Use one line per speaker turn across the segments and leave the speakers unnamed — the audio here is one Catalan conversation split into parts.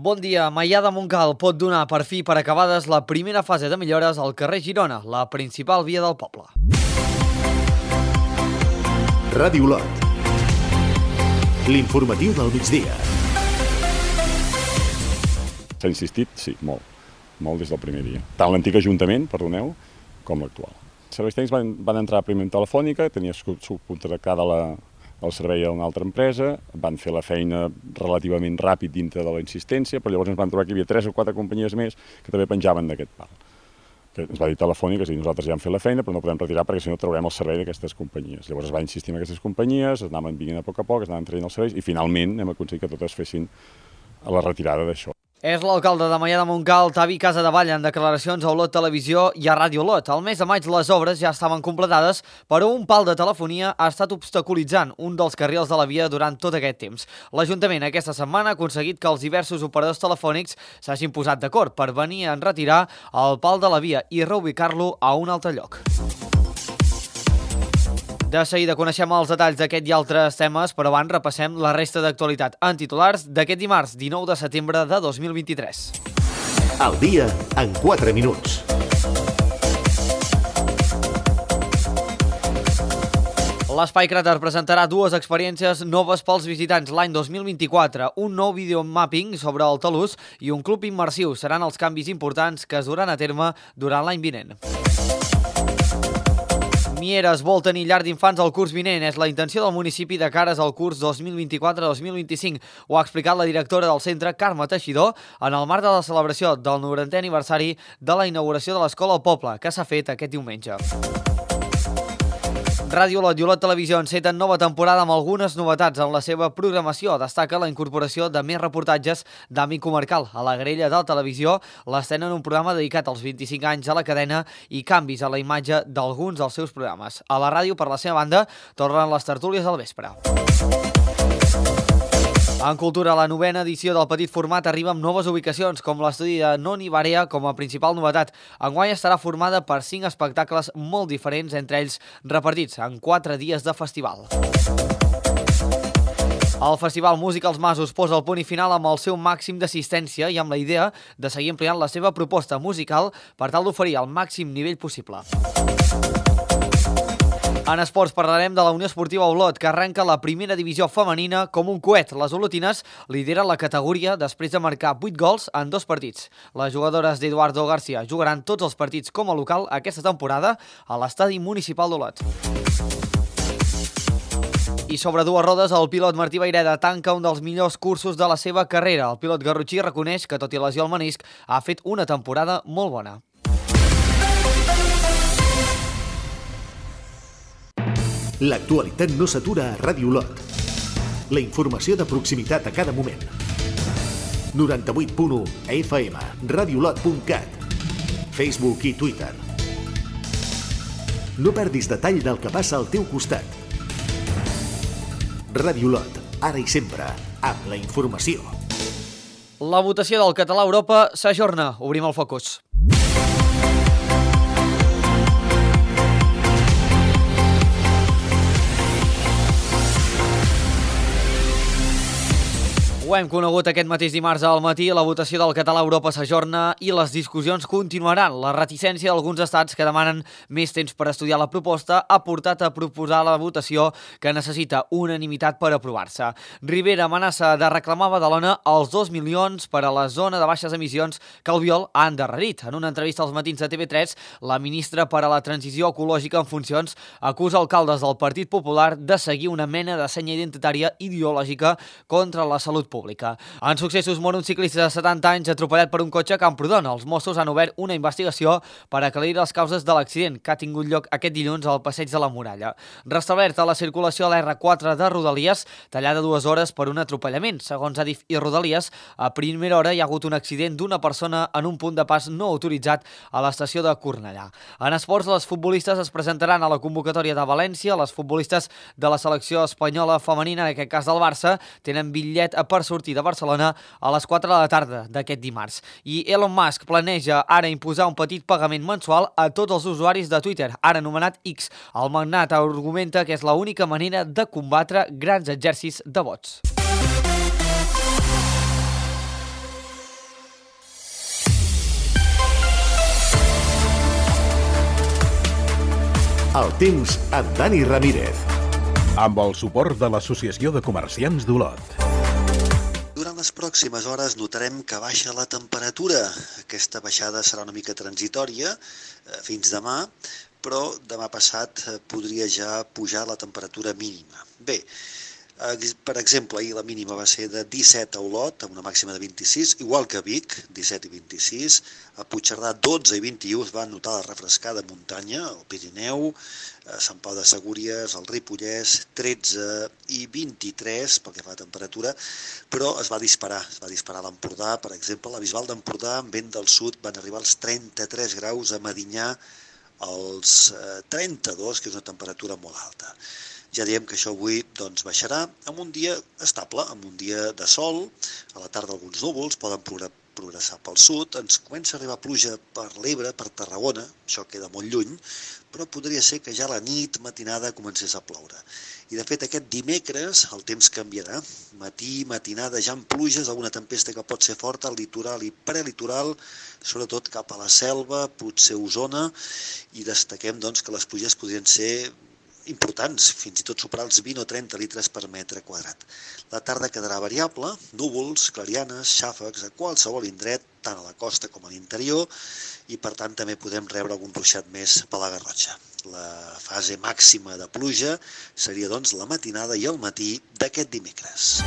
Bon dia. Maià de Montcal pot donar per fi per acabades la primera fase de millores al carrer Girona, la principal via del poble.
Ràdio Lot. L'informatiu del migdia.
S'ha insistit? Sí, molt. Molt des del primer dia. Tant l'antic Ajuntament, perdoneu, com l'actual. Els serveis tècnics van entrar primer en Telefònica, tenia subcontractada el servei a una altra empresa, van fer la feina relativament ràpid dintre de la insistència, però llavors ens van trobar que hi havia 3 o 4 companyies més que també penjaven d'aquest pal. Que ens va dir Telefònica, és a dir, nosaltres ja hem fet la feina, però no podem retirar perquè si no traurem el servei d'aquestes companyies. Llavors es va insistir en aquestes companyies, es anaven vinguent a poc, es anaven traient els serveis i finalment hem aconseguit que totes fessin la retirada d'això.
És l'alcalde de Maià de Montcal, Tavi Casadevall, en declaracions a Olot Televisió i a Ràdio Olot. Al mes de maig les obres ja estaven completades, però un pal de telefonia ha estat obstaculitzant un dels carrils de la via durant tot aquest temps. L'Ajuntament aquesta setmana ha aconseguit que els diversos operadors telefònics s'hagin posat d'acord per venir a enretirar el pal de la via i reubicar-lo a un altre lloc. De seguida coneixem els detalls d'aquest i altres temes, però abans repassem la resta d'actualitat en titulars d'aquest dimarts 19 de setembre de 2023.
El dia en 4 minuts.
L'Espai Cràter presentarà 2 experiències noves pels visitants l'any 2024, un nou videomapping sobre el talús i un club immersiu. Seran els canvis importants que es duran a terme durant l'any vinent. Mieres vol tenir llar d'infants al curs vinent. És la intenció del municipi de cares al curs 2024-2025. Ho ha explicat la directora del centre, Carme Teixidor, en el marc de la celebració del 90è aniversari de la inauguració de l'Escola al Poble, que s'ha fet aquest diumenge. Ràdio Olot i Olot Televisió enceten nova temporada amb algunes novetats en la seva programació. Destaca la incorporació de més reportatges d'àmbit comarcal. A la grella de la televisió l'estrenen un programa dedicat als 25 anys a la cadena i canvis a la imatge d'alguns dels seus programes. A la ràdio, per la seva banda, tornen les tertúlies al vespre. En cultura, la 9a edició del petit format arriba amb noves ubicacions, com l'estudi de Noni Barea com a principal novetat. Enguany estarà formada per 5 espectacles molt diferents, entre ells repartits en 4 dies de festival. El Festival Música als Masos posa el punt i final amb el seu màxim d'assistència i amb la idea de seguir ampliant la seva proposta musical per tal d'oferir el màxim nivell possible. En esports parlarem de la Unió Esportiva Olot, que arrenca la primera divisió femenina com un coet. Les olotines lideren la categoria després de marcar 8 gols en 2 partits. Les jugadores d'Eduardo García jugaran tots els partits com a local aquesta temporada a l'estadi municipal d'Olot. I sobre 2 rodes, el pilot Martí Vaireda tanca un dels millors cursos de la seva carrera. El pilot garrotxí reconeix que, tot i lesió al menisc, ha fet una temporada molt bona.
L'actualitat no s'atura a Ràdio Lot. La informació de proximitat a cada moment. 98.1 FM, radiolot.cat, Facebook i Twitter. No perdis detall del que passa al teu costat. Ràdio Lot, ara i sempre, amb la informació.
La votació del català a Europa s'ajorna. Obrim el focus. Ho hem conegut aquest mateix dimarts al matí, la votació del català a Europa s'ajorna i les discussions continuaran. La reticència d'alguns estats que demanen més temps per estudiar la proposta ha portat a proposar la votació que necessita unanimitat per aprovar-se. Rivera amenaça de reclamar a Badalona els 2 milions per a la zona de baixes emissions que Albiol ha endarrerit. En una entrevista als matins de TV3, la ministra per a la transició ecològica en funcions acusa alcaldes del Partit Popular de seguir una mena de senya identitària ideològica contra la salut pública. En successos, mor un ciclista de 70 anys atropellat per un cotxe a Camprodon. Els Mossos han obert una investigació per aclarir les causes de l'accident que ha tingut lloc aquest dilluns al Passeig de la Muralla. Restablerta la circulació a l'R4 de Rodalies, tallada 2 hores per un atropellament. Segons Adif i Rodalies, a primera hora hi ha hagut un accident d'una persona en un punt de pas no autoritzat a l'estació de Cornellà. En esports, les futbolistes es presentaran a la convocatòria de València. Les futbolistes de la selecció espanyola femenina, en aquest cas del Barça, tenen bitllet per sortir de Barcelona a les 4 de la tarda d'aquest dimarts. I Elon Musk planeja ara imposar un petit pagament mensual a tots els usuaris de Twitter, ara anomenat X. El magnat argumenta que és l'única manera de combatre grans exèrcits de bots.
El temps amb Dani Ramírez.
Amb el suport de l'Associació de Comerciants d'Olot.
Durant les pròximes hores notarem que baixa la temperatura. Aquesta baixada serà una mica transitòria fins demà, però demà passat podria ja pujar la temperatura mínima. Bé, per exemple, ahir la mínima va ser de 17 a Olot, amb una màxima de 26, igual que a Vic, 17 i 26, a Puigcerdà 12 i 21 es va notar la refrescada muntanya, al Pirineu, a Sant Pau de Segúries, al Ripollès, 13 i 23 pel que fa a temperatura, però es va disparar a l'Empordà, per exemple, a la Bisbal d'Empordà, amb vent del sud, van arribar als 33 graus, a Medinyà als 32, que és una temperatura molt alta. Ja diem que això avui baixarà amb un dia estable, amb un dia de sol, a la tarda alguns núvols poden progressar pel sud, ens comença a arribar pluja per l'Ebre, per Tarragona, això queda molt lluny, però podria ser que ja a la nit, matinada, comencés a ploure. I de fet aquest dimecres el temps canviarà, matí, matinada, ja amb pluges, alguna tempesta que pot ser forta al litoral i prelitoral, sobretot cap a la Selva, potser Osona, i destaquem que les pluges podrien ser importants, fins i tot superar els 20 o 30 litres per metre quadrat. La tarda quedarà variable, núvols, clarianes, xàfecs a qualsevol indret, tant a la costa com a l'interior, i per tant també podem rebre algun ruixat més per la Garrotxa. La fase màxima de pluja seria la matinada i el matí d'aquest dimecres.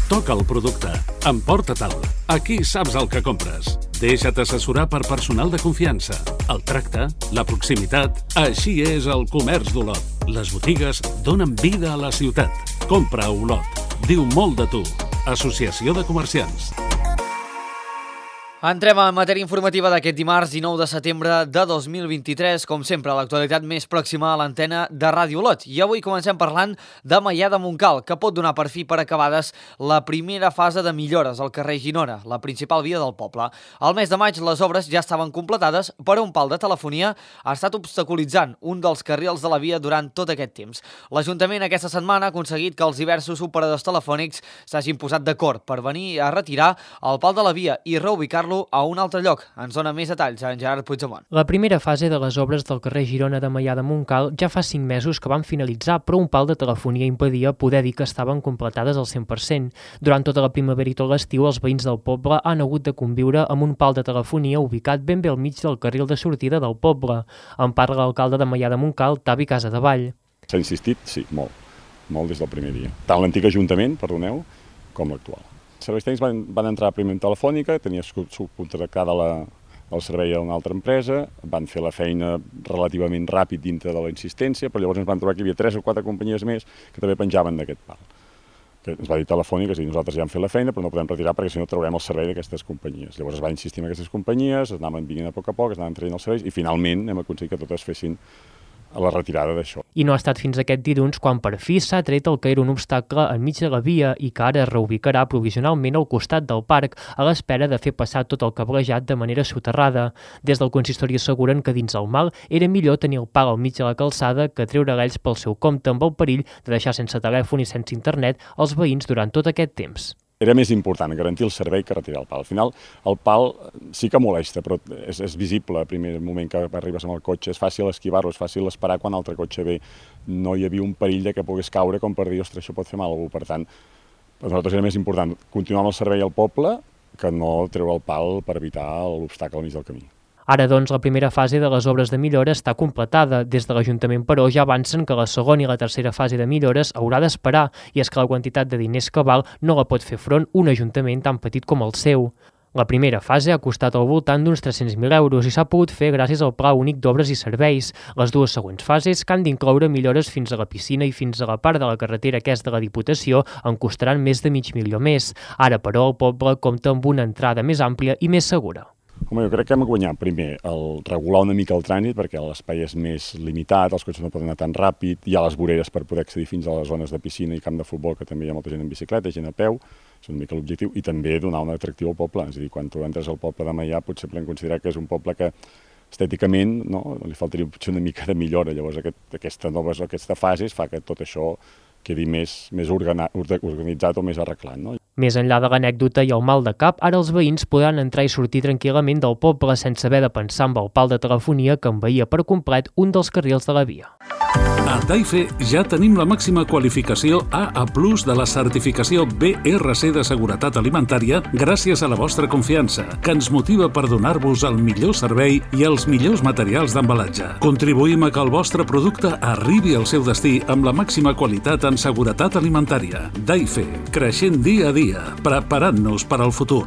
Toca el producte, emporta-te'l. Aquí saps el que compres. Deixa't assessorar per personal de confiança. El tracte, la proximitat, així és el comerç d'Olot. Les botigues donen vida a la ciutat. Compra a Olot. Diu molt de tu. Associació de Comerciants.
Entrem en matèria informativa d'aquest dimarts 19 de setembre de 2023, com sempre, l'actualitat més pròxima a l'antena de Ràdio Olot. I avui comencem parlant de Maià de Montcal, que pot donar per fi per acabades la primera fase de millores al carrer Ginona, la principal via del poble. Al mes de maig les obres ja estaven completades, però un pal de telefonia ha estat obstaculitzant un dels carrils de la via durant tot aquest temps. L'Ajuntament aquesta setmana ha aconseguit que els diversos operadors telefònics s'hagin posat d'acord per venir a retirar el pal de la via i reubicar-lo a un altre lloc. Ens dona més detalls en Gerard Puigdemont.
La primera fase de les obres del carrer Girona de Maià de Montcal ja fa 5 mesos que van finalitzar, però un pal de telefonia impedia poder dir que estaven completades al 100%. Durant tota la primavera i tot l'estiu, els veïns del poble han hagut de conviure amb un pal de telefonia ubicat ben bé al mig del carril de sortida del poble. En parla l'alcalde de Maià de Montcal, Tavi Casadevall.
S'ha insistit, sí, molt des del primer dia. Tant l'antic Ajuntament, perdoneu, com l'actual. Els serveis tècnics van entrar primer en telefònica, tenia subcontractada el servei a una altra empresa, van fer la feina relativament ràpid dintre de la insistència, però llavors ens van trobar que hi havia 3 o 4 companyies més que també penjaven d'aquest pal. Que ens va dir telefònica, és a dir, nosaltres ja hem fet la feina, però no podem retirar perquè si no traurem el servei d'aquestes companyies. Llavors es va insistir en aquestes companyies, es anaven venint a poc, es anaven traient els serveis i finalment hem aconseguit que totes fessin a la retirada d'això.
I no ha estat fins aquest dilluns quan per fi s'ha tret el que era un obstacle enmig de la via i que ara es reubicarà provisionalment al costat del parc a l'espera de fer passar tot el cablejat de manera soterrada. Des del consistori asseguren que dins el mal era millor tenir el pal al mig de la calçada que treure l'ells pel seu compte amb el perill de deixar sense telèfon i sense internet els veïns durant tot aquest temps.
Era més important garantir el servei que retirar el pal. Al final, el pal sí que molesta, però és visible al primer moment que arribes amb el cotxe. És fàcil esquivar-lo, és fàcil esperar quan l'altre cotxe ve. No hi havia un perill de que pogués caure com per dir, ostres, això pot fer mal a algú. Per tant, per nosaltres era més important continuar amb el servei al poble que no treure el pal per evitar l'obstacle al mig del camí.
Ara, doncs, la primera fase de les obres de millora està completada. Des de l'Ajuntament, però, ja avancen que la segona i la tercera fase de millores haurà d'esperar, i és que la quantitat de diners que val no la pot fer front un ajuntament tan petit com el seu. La primera fase ha costat al voltant d'uns 300.000 euros i s'ha pogut fer gràcies al Pla Únic d'Obres i Serveis. Les dues següents fases, que han d'incloure millores fins a la piscina i fins a la part de la carretera que és de la Diputació, en costaran més de $500.000 més. Ara, però, el poble compta amb una entrada més àmplia i més segura.
Home, jo crec que hem guanyat primer el regular una mica el trànsit perquè l'espai és més limitat, els cotxes no poden anar tan ràpid, hi ha les voreres per poder accedir fins a les zones de piscina i camp de futbol, que també hi ha molta gent en bicicleta, gent a peu, és una mica l'objectiu, i també donar un atractiu al poble. És a dir, quan tu entres al poble de Maià potser podem considerar que és un poble que estèticament li faltaria potser una mica de millora. Llavors aquesta fase fa que tot això quedi més organitzat o més arreglat.
Més enllà de l'anècdota i el mal de cap, ara els veïns podran entrar i sortir tranquil·lament del poble sense haver de pensar en el pal de telefonia que envaïa per complet un dels carrils de la via.
A Daife ja tenim la màxima qualificació AA+ de la certificació BRC de seguretat alimentària gràcies a la vostra confiança, que ens motiva per donar-vos el millor servei i els millors materials d'embalatge. Contribuïm a que el vostre producte arribi al seu destí amb la màxima qualitat en seguretat alimentària. Daife, creixent dia a dia, preparant-nos per al futur.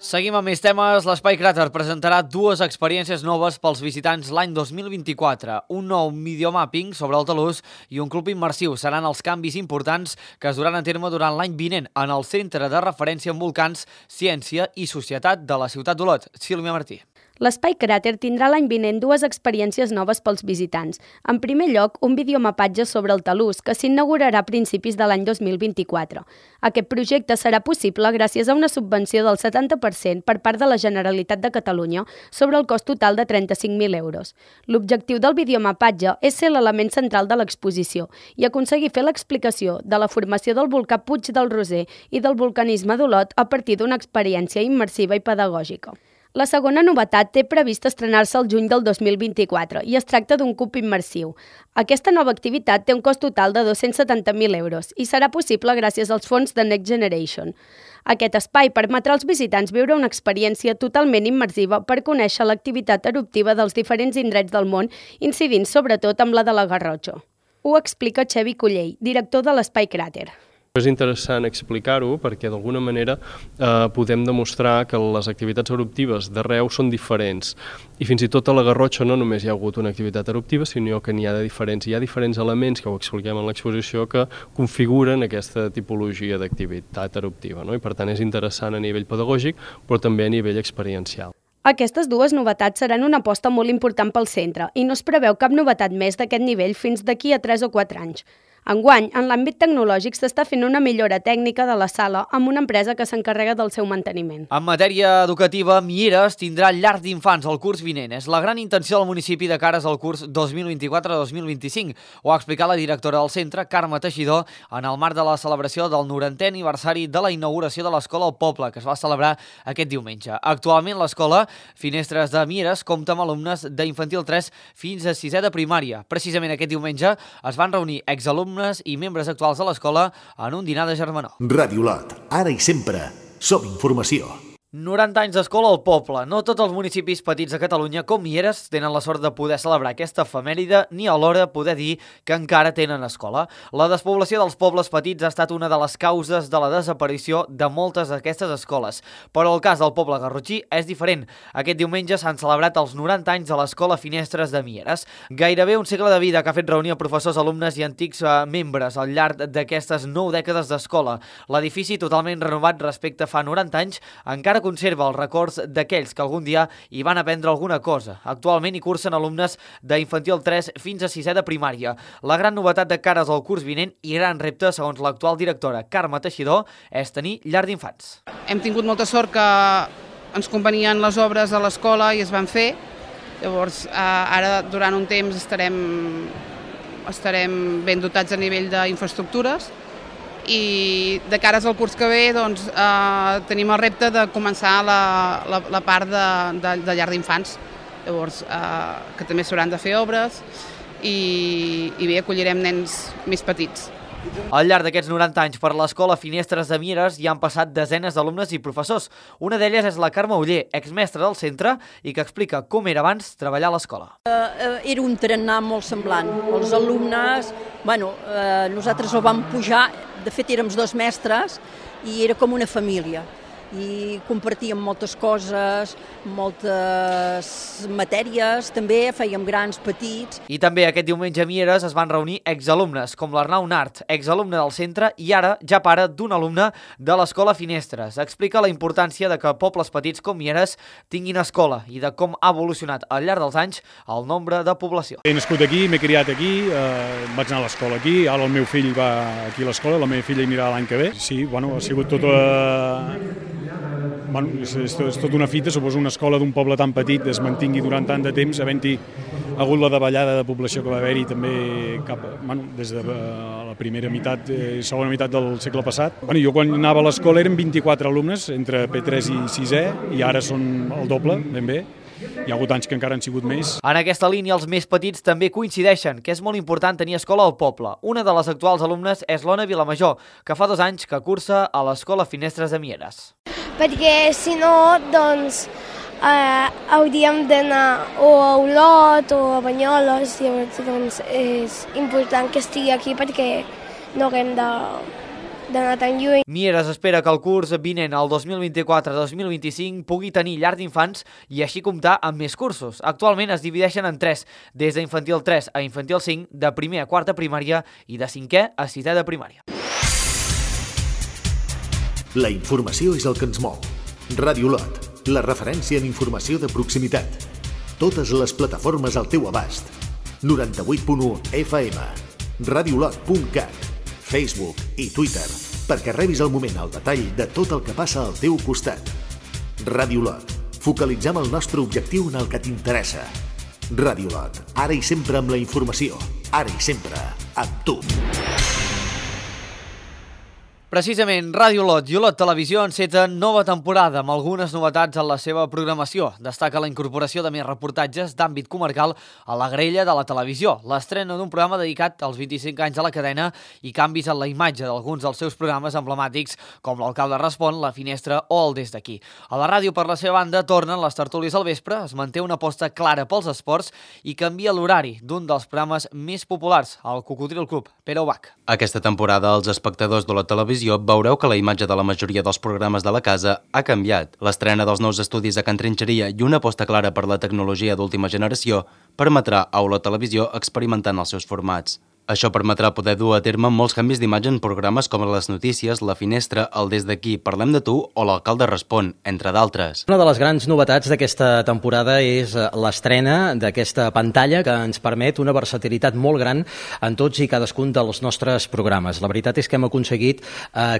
Seguim amb més temes. L'Espai Cràter presentarà 2 experiències noves pels visitants l'any 2024. Un nou videomapping sobre el talús i un club immersiu seran els canvis importants que es duran a terme durant l'any vinent en el Centre de Referència en Volcans, Ciència i Societat de la ciutat d'Olot. Sílvia Martí.
L'Espai Cràter tindrà l'any vinent 2 experiències noves pels visitants. En primer lloc, un videomapatge sobre el talús, que s'inaugurarà a principis de l'any 2024. Aquest projecte serà possible gràcies a una subvenció del 70% per part de la Generalitat de Catalunya sobre el cost total de 35.000 euros. L'objectiu del videomapatge és ser l'element central de l'exposició i aconseguir fer l'explicació de la formació del volcà Puig del Roser i del vulcanisme d'Olot a partir d'una experiència immersiva i pedagògica. La segona novetat té previst estrenar-se el juny del 2024 i es tracta d'un cub immersiu. Aquesta nova activitat té un cost total de 270.000 euros i serà possible gràcies als fons de Next Generation. Aquest espai permetrà als visitants viure una experiència totalment immersiva per conèixer l'activitat eruptiva dels diferents indrets del món, incidint sobretot amb la de la Garrotxa. Ho explica Xevi Collell, director de l'Espai Cràter.
És interessant explicar-ho perquè d'alguna manera podem demostrar que les activitats eruptives d'arreu són diferents i fins i tot a la Garrotxa no només hi ha hagut una activitat eruptiva sinó que n'hi ha de diferents. Hi ha diferents elements que ho expliquem en l'exposició que configuren aquesta tipologia d'activitat eruptiva, no? I per tant és interessant a nivell pedagògic però també a nivell experiencial.
Aquestes 2 novetats seran una aposta molt important pel centre i no es preveu cap novetat més d'aquest nivell fins d'aquí a 3 o 4 anys. Enguany, en l'àmbit tecnològic s'està fent una millora tècnica de la sala amb una empresa que s'encarrega del seu manteniment.
En matèria educativa, Mieres tindrà llar d'infants el curs vinent. És la gran intenció del municipi de cares al curs 2024-2025. Ho ha explicat la directora del centre, Carme Teixidor, en el marc de la celebració del 90è aniversari de la inauguració de l'escola al poble, que es va celebrar aquest diumenge. Actualment, l'escola Finestres de Mieres compta amb alumnes d'infantil 3 fins a 6è de primària. Precisament aquest diumenge es van reunir exalumnes i membres actuals de l'escola en un dinar de germanor.
Ràdio Olot, ara i sempre, som informació.
90 anys d'escola al poble. No tots els municipis petits de Catalunya, com Mieres, tenen la sort de poder celebrar aquesta efemèride ni alhora poder dir que encara tenen escola. La despoblació dels pobles petits ha estat una de les causes de la desaparició de moltes d'aquestes escoles. Però el cas del poble garrotxí és diferent. Aquest diumenge s'han celebrat els 90 anys de l'escola Finestres de Mieres. Gairebé un segle de vida que ha fet reunir a professors, alumnes i antics membres al llarg d'aquestes 9 dècades d'escola. L'edifici, totalment renovat respecte a fa 90 anys, encara conserva els records d'aquells que algun dia hi van aprendre alguna cosa. Actualment hi cursen alumnes d'infantil 3 fins a 6è de primària. La gran novetat de cares al curs vinent i gran repte, segons l'actual directora Carme Teixidor, és tenir llar d'infants.
Hem tingut molta sort que ens convenien les obres a l'escola i es van fer. Llavors, ara durant un temps estarem ben dotats a nivell d'infraestructures i de cares al curs que ve doncs, tenim el repte de començar la part de llar d'infants, llavors que també s'hauran de fer obres i bé, acollirem nens més petits.
Al llarg d'aquests 90 anys per l'escola Finestres de Mieres hi han passat desenes d'alumnes i professors. Una d'elles és la Carme Oller, exmestra del centre i que explica com era abans treballar a l'escola.
Era un tarannà molt semblant. Els alumnes, nosaltres el vam pujar, de fet érem 2 mestres i era com una família. I compartíem moltes coses, moltes matèries, també fèiem grans, petits.
I també aquest diumenge a Mieres es van reunir exalumnes, com l'Arnau Nart, exalumne del centre i ara ja pare d'un alumne de l'escola Finestres. Explica la importància de que pobles petits com Mieres tinguin escola i de com ha evolucionat al llarg dels anys el nombre de població.
He nascut aquí, m'he criat aquí, vaig anar a l'escola aquí, ara el meu fill va aquí a l'escola, la meva filla hi anirà l'any que ve. Sí, ha sigut tot... és tota una fita, suposo una escola d'un poble tan petit es mantingui durant tant de temps, havent-hi ha hagut la davallada de població que va haver-hi també des de la primera meitat i segona meitat del segle passat. Jo quan anava a l'escola eren 24 alumnes entre P3 i 6è i ara són el doble, ben bé. Hi ha hagut anys que encara han sigut més.
En aquesta línia, els més petits també coincideixen que és molt important tenir escola al poble. Una de les actuals alumnes és l'Ona Vilamajor, que fa 2 anys que cursa a l'Escola Finestres de Mieres.
Perquè si no, doncs, hauríem d'anar o a Olot o a Banyoles, llavors doncs, és important que estigui aquí perquè no haguem d'anar tan lluny.
Mieres espera que el curs vinent, el 2024-2025, pugui tenir llar d'infants i així comptar amb més cursos. Actualment es divideixen en 3, des d'infantil 3 a infantil 5, de primer a 4 primària i de 5è a 6è de primària.
La informació és el que ens mou. Ràdio Olot, la referència en informació de proximitat. Totes les plataformes al teu abast. 98.1 FM, radioolot.cat, Facebook i Twitter, perquè rebis al moment el detall de tot el que passa al teu costat. Ràdio Olot, focalitzem el nostre objectiu en el que t'interessa. Ràdio Olot, ara i sempre amb la informació, ara i sempre amb tu.
Precisament, Ràdio Olot i Olot Televisió enceten nova temporada amb algunes novetats en la seva programació. Destaca la incorporació de més reportatges d'àmbit comarcal a la grella de la televisió, l'estrena d'un programa dedicat als 25 anys de la cadena i canvis en la imatge d'alguns dels seus programes emblemàtics com l'Alcalde Respon, La Finestra o el Des d'aquí. A la ràdio, per la seva banda, tornen les tertúlies al vespre, es manté una aposta clara pels esports i canvia l'horari d'un dels programes més populars, el Cocodril Club, Pere Ubach.
Aquesta temporada, els espectadors de la televisió veureu que la imatge de la majoria dels programes de la casa ha canviat. L'estrena dels nous estudis a Can Trinxeria i una aposta clara per la tecnologia d'última generació permetrà a Olot Televisió experimentar en els seus formats. Això permetrà poder dur a terme molts canvis d'imatge en programes com Les Notícies, La Finestra, el Des d'aquí, Parlem de tu o l'Alcalde Respon, entre d'altres.
Una de les grans novetats d'aquesta temporada és l'estrena d'aquesta pantalla que ens permet una versatilitat molt gran en tots i cadascun dels nostres programes. La veritat és que hem aconseguit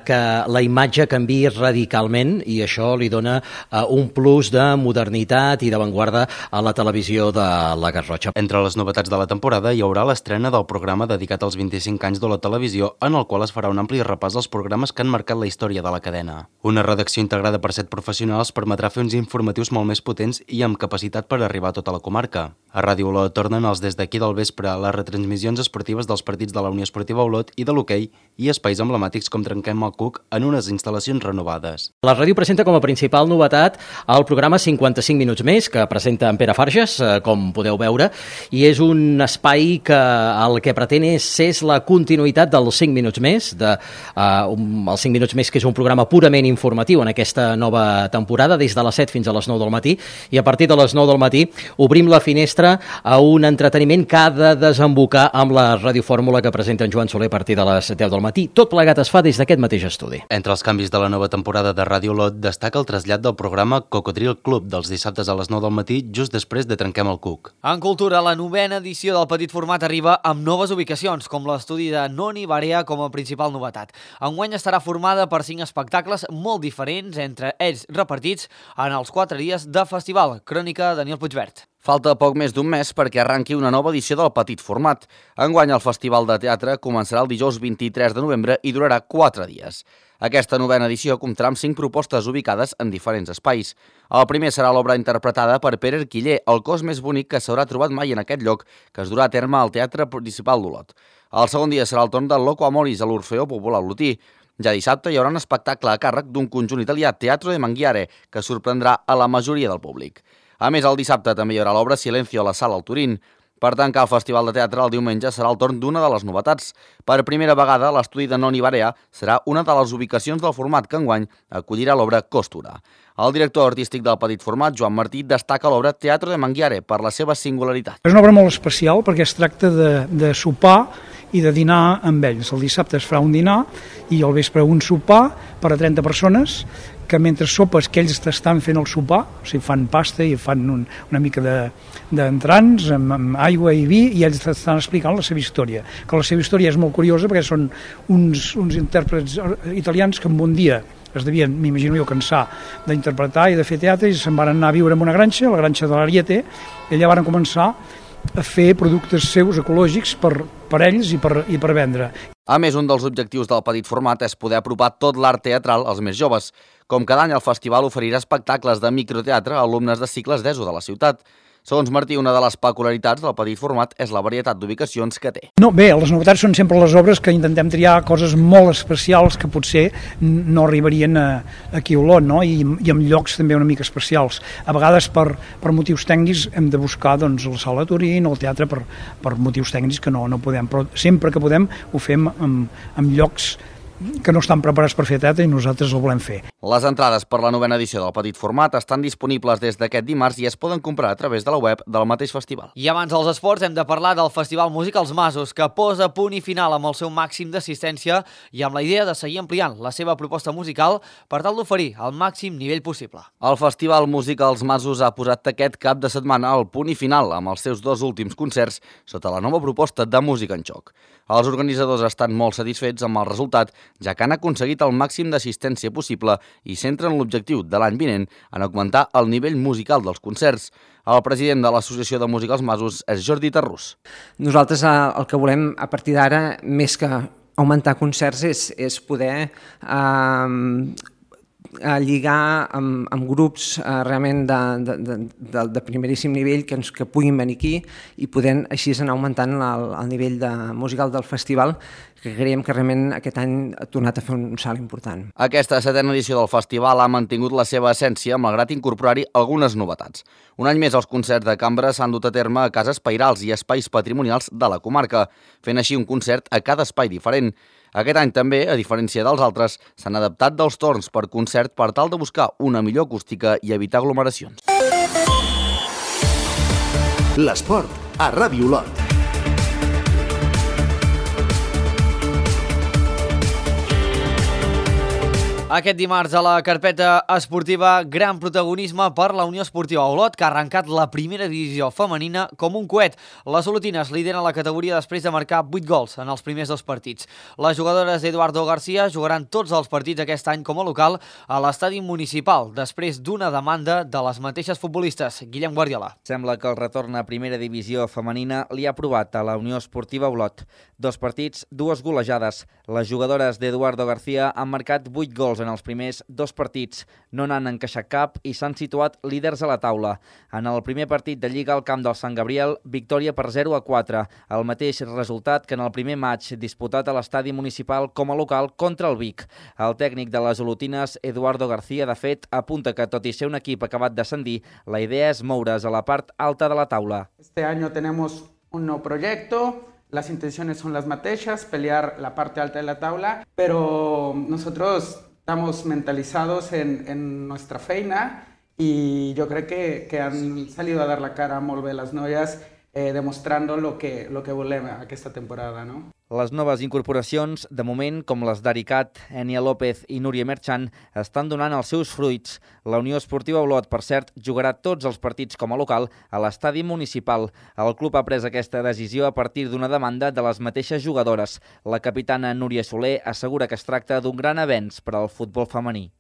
que la imatge canviï radicalment i això li dona un plus de modernitat i d'avantguarda a la televisió de la Garrotxa.
Entre les novetats de la temporada hi haurà l'estrena del programa dedicat als 25 anys de la televisió, en el qual es farà un ampli repàs dels programes que han marcat la història de la cadena. Una redacció integrada per 7 professionals permetrà fer uns informatius molt més potents i amb capacitat per arribar a tota la comarca. A Ràdio Olot tornen els Des d'aquí del vespre, les retransmissions esportives dels partits de la Unió Esportiva Olot i de l'hoquei i espais emblemàtics com Trenquem el Cuc en unes instal·lacions renovades.
La ràdio presenta com a principal novetat el programa 55 minuts més, que presenta en Pere Farges, com podeu veure, i és un espai que el que pretén és la continuïtat dels 5 minuts més, els 5 minuts més, que és un programa purament informatiu en aquesta nova temporada, des de les 7 fins a les 9 del matí, i a partir de les 9 del matí obrim la finestra a un entreteniment que ha de desembocar amb la radiofórmula que presenta en Joan Soler a partir de les 10 del matí. Tot plegat es fa des d'aquest mateix estudi.
Entre els canvis de la nova temporada de Ràdio Olot destaca el trasllat del programa Cocodril Club dels dissabtes a les 9 del matí, just després de Trenquem el Cuc.
En cultura, la 9a edició del Petit Format arriba amb noves ubicacions, com l'estudi de Noni Barea com a principal novetat. Enguany estarà formada per 5 espectacles molt diferents, entre ells repartits en els 4 dies de festival. Crònica Daniel Puigvert.
Falta poc més d'un mes perquè arranqui una nova edició del Petit Format. Enguany el Festival de Teatre començarà el dijous 23 de novembre i durarà 4 dies. Aquesta 9a edició comptarà amb 5 propostes ubicades en diferents espais. El primer serà l'obra interpretada per Pere Arquiller, el cos més bonic que s'haurà trobat mai en aquest lloc, que es durà a terme al Teatre Principal d'Olot. El segon dia serà el torn del Loco Amoris a l'Orfeó Popular Olotí. Ja dissabte hi haurà un espectacle a càrrec d'un conjunt italià, Teatro de Manghiare, que sorprendrà a la majoria del públic. A més, el dissabte també hi haurà l'obra Silencio a la Sala al Turín. Per tancar el Festival de Teatre, el diumenge serà el torn d'una de les novetats. Per primera vegada, l'estudi de Noni Barea serà una de les ubicacions del format que enguany acollirà l'obra Costura. El director artístic del Petit Format, Joan Martí, destaca l'obra Teatro de Manghiare per la seva singularitat.
És una obra molt especial perquè es tracta de sopar i de dinar amb ells. El dissabte es farà un dinar i al vespre un sopar per a 30 persones que mentre sopes que ells estan fent el sopar, o sigui, fan pasta i fan una mica d'entrants amb aigua i vi i ells estan explicant la seva història. Que la seva història és molt curiosa perquè són uns intèrprets italians que en un dia es devien, m'imagino jo, cansar d'interpretar i de fer teatre i se'n van anar a viure en una granja, la granja de l'Ariete, i allà van començar a fer productes seus ecològics per ells i per vendre.
A més, un dels objectius del petit format és poder apropar tot l'art teatral als més joves. Com cada any, el festival oferirà espectacles de microteatre a alumnes de cicles d'ESO de la ciutat. Segons Martí, una de les peculiaritats del petit format és la varietat d'ubicacions que té.
Bé, les novetats són sempre les obres que intentem triar coses molt especials que potser no arribarien aquí a Olot, no? I en llocs també una mica especials. A vegades per motius tècnics hem de buscar la sala de Turín o el teatre per motius tècnics que no podem, però sempre que podem ho fem en llocs que no estan preparats per fer teatre i nosaltres el volem fer.
Les entrades per la 9a edició del petit format estan disponibles des d'aquest dimarts i es poden comprar a través de la web del mateix festival.
I abans dels esports hem de parlar del Festival Música als Masos, que posa punt i final amb el seu màxim d'assistència i amb la idea de seguir ampliant la seva proposta musical per tal d'oferir el màxim nivell possible.
El Festival Música als Masos ha posat aquest cap de setmana al punt i final amb els seus 2 últims concerts sota la nova proposta de música en joc. Els organitzadors estan molt satisfets amb el resultat, ja que han aconseguit el màxim d'assistència possible i centren l'objectiu de l'any vinent en augmentar el nivell musical dels concerts. El president de l'Associació de Música als Masos és Jordi Tarrús.
Nosaltres el que volem a partir d'ara, més que augmentar concerts, és poder lligar amb grups realment de primeríssim nivell que puguin venir aquí i poder així anar augmentant el nivell musical del festival, que creiem que realment aquest any ha tornat a fer un salt important.
Aquesta 7a edició del festival ha mantingut la seva essència, malgrat incorporar-hi algunes novetats. Un any més, els concerts de cambra s'han dut a terme a cases pairals i espais patrimonials de la comarca, fent així un concert a cada espai diferent. Aquest any també, a diferència dels altres, s'han adaptat dels torns per concert per tal de buscar una millor acústica i evitar aglomeracions.
L'esport a Ràdio Olot.
Aquest dimarts a la carpeta esportiva, gran protagonisme per la Unió Esportiva Olot, que ha arrencat la primera divisió femenina com un coet. Les olotines lideren la categoria després de marcar 8 gols en els primers 2 partits. Les jugadores d'Eduardo García jugaran tots els partits aquest any com a local a l'estadi municipal, després d'una demanda de les mateixes futbolistes. Guillem Guardiola.
Sembla que el retorn a primera divisió femenina li ha provat a la Unió Esportiva Olot. 2 partits, 2 golejades. Les jugadores d'Eduardo García han marcat 8 gols en els primers 2 partits, no n'han encaixat cap i s'han situat líders a la taula. En el primer partit de Lliga al camp del Sant Gabriel, victòria per 0-4, el mateix resultat que en el primer matx disputat a l'estadi municipal com a local contra el Vic. El tècnic de les olotines, Eduardo García, de fet, apunta que tot i ser un equip acabat d'ascendir, la idea és moure's a la part alta de la taula.
Este año tenemos un nuevo proyecto. Las intenciones son las mateixes, pelear la parte alta de la tabla, pero nosotros estamos mentalizados en nuestra feina y yo creo que han salido a dar la cara molt bé les noies, demostrando lo que volem aquesta temporada, no?
Les noves incorporacions, de moment, com les d'Aricat, Enia López i Núria Merchant, estan donant els seus fruits. La Unió Esportiva Olot, per cert, jugarà tots els partits com a local a l'estadi municipal. El club ha pres aquesta decisió a partir d'una demanda de les mateixes jugadores. La capitana Núria Soler assegura que es tracta d'un gran avenç per al futbol femení.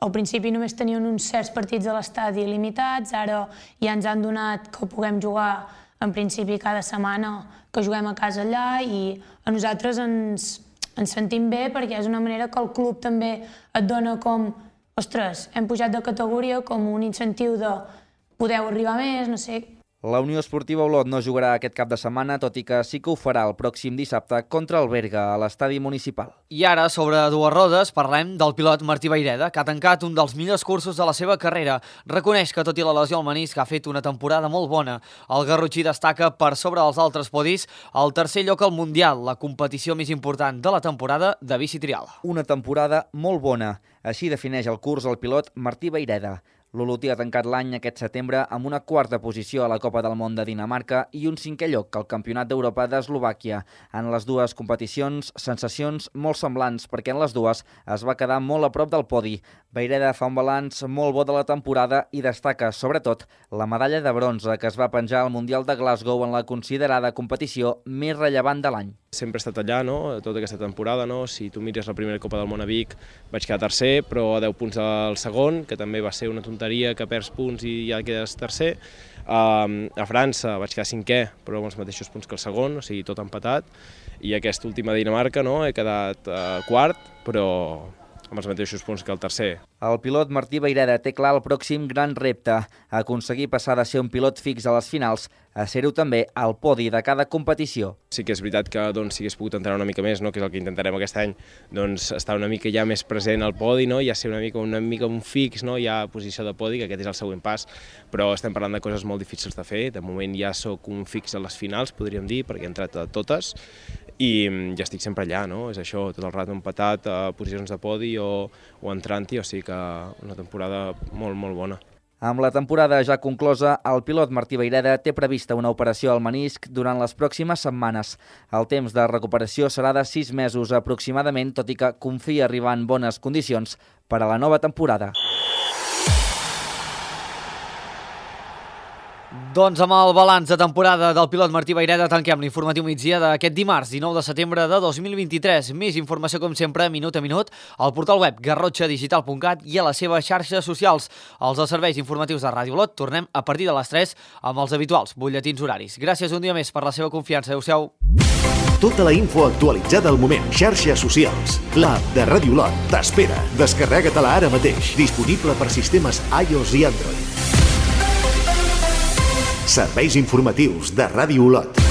Al principi només tenien uns certs partits a l'estadi limitats, ara ja ens han donat que puguem jugar en principi cada setmana, que juguem a casa allà i a nosaltres ens sentim bé perquè és una manera que el club també et dona com, ostres, hem pujat de categoria, com un incentiu de podeu arribar més, no sé.
La Unió Esportiva Olot no jugarà aquest cap de setmana, tot i que sí que ho farà el pròxim dissabte contra el Berga, a l'estadi municipal.
I ara, sobre dues rodes, parlem del pilot Martí Vayreda, que ha tancat un dels millors cursos de la seva carrera. Reconeix que, tot i la lesió al menisc, ha fet una temporada molt bona. El garrotxí destaca per sobre dels altres podis el tercer lloc al Mundial, la competició més important de la temporada de bici trial.
Una temporada molt bona. Així defineix el curs el pilot Martí Vayreda. L'olotí ha tancat l'any aquest setembre amb una 4a posició a la Copa del Món de Dinamarca i un 5è lloc al Campionat d'Europa d'Eslovàquia. En les dues competicions, sensacions molt semblants, perquè en les dues es va quedar molt a prop del podi. Vayreda fa un balanç molt bo de la temporada i destaca, sobretot, la medalla de bronze que es va penjar al Mundial de Glasgow en la considerada competició més rellevant de l'any.
Sempre he estat allà, tota aquesta temporada. Si tu mires la primera Copa del Món a Vic, vaig quedar tercer, però a 10 punts del segon, que també va ser una tonteria que perds punts i ja quedes tercer. A França vaig quedar cinquè, però amb els mateixos punts que el segon, o sigui, tot empatat. I aquesta última Dinamarca he quedat quart, però amb els mateixos punts que el tercer.
El pilot Martí Vayreda té clar el pròxim gran repte, aconseguir passar de ser un pilot fix a les finals a ser-ho també al podi de cada competició.
Sí que és veritat que si hagués pogut entrenar una mica més, que és el que intentarem aquest any, estar una mica ja més present al podi, ja ser una mica un fix, ja posició de podi, que aquest és el següent pas, però estem parlant de coses molt difícils de fer. De moment ja sóc un fix a les finals, podríem dir, perquè he entrat a totes, i ja estic sempre allà, és això, tot el rato empatat a posicions de podi o entrant-hi, o sigui que una temporada molt, molt bona.
Amb la temporada ja conclosa, el pilot Martí Vayreda té prevista una operació al menisc durant les pròximes setmanes. El temps de recuperació serà de 6 mesos aproximadament, tot i que confia arribar en bones condicions per a la nova temporada.
Doncs amb el balanç de temporada del pilot Martí Vayreda tanquem l'informatiu migdia d'aquest dimarts, 19 de setembre de 2023. Més informació, com sempre, minut a minut, al portal web garrotxadigital.cat i a les seves xarxes socials. Els serveis informatius de Ràdio Olot tornem a partir de les 3 amb els habituals butlletins horaris. Gràcies un dia més per la seva confiança. Adéu-siau.
Tota la info actualitzada al moment. Xarxes socials. L'app de Ràdio Olot t'espera. Descarrega-te-la ara mateix. Disponible per sistemes iOS i Android. Serveis informatius de Ràdio Olot.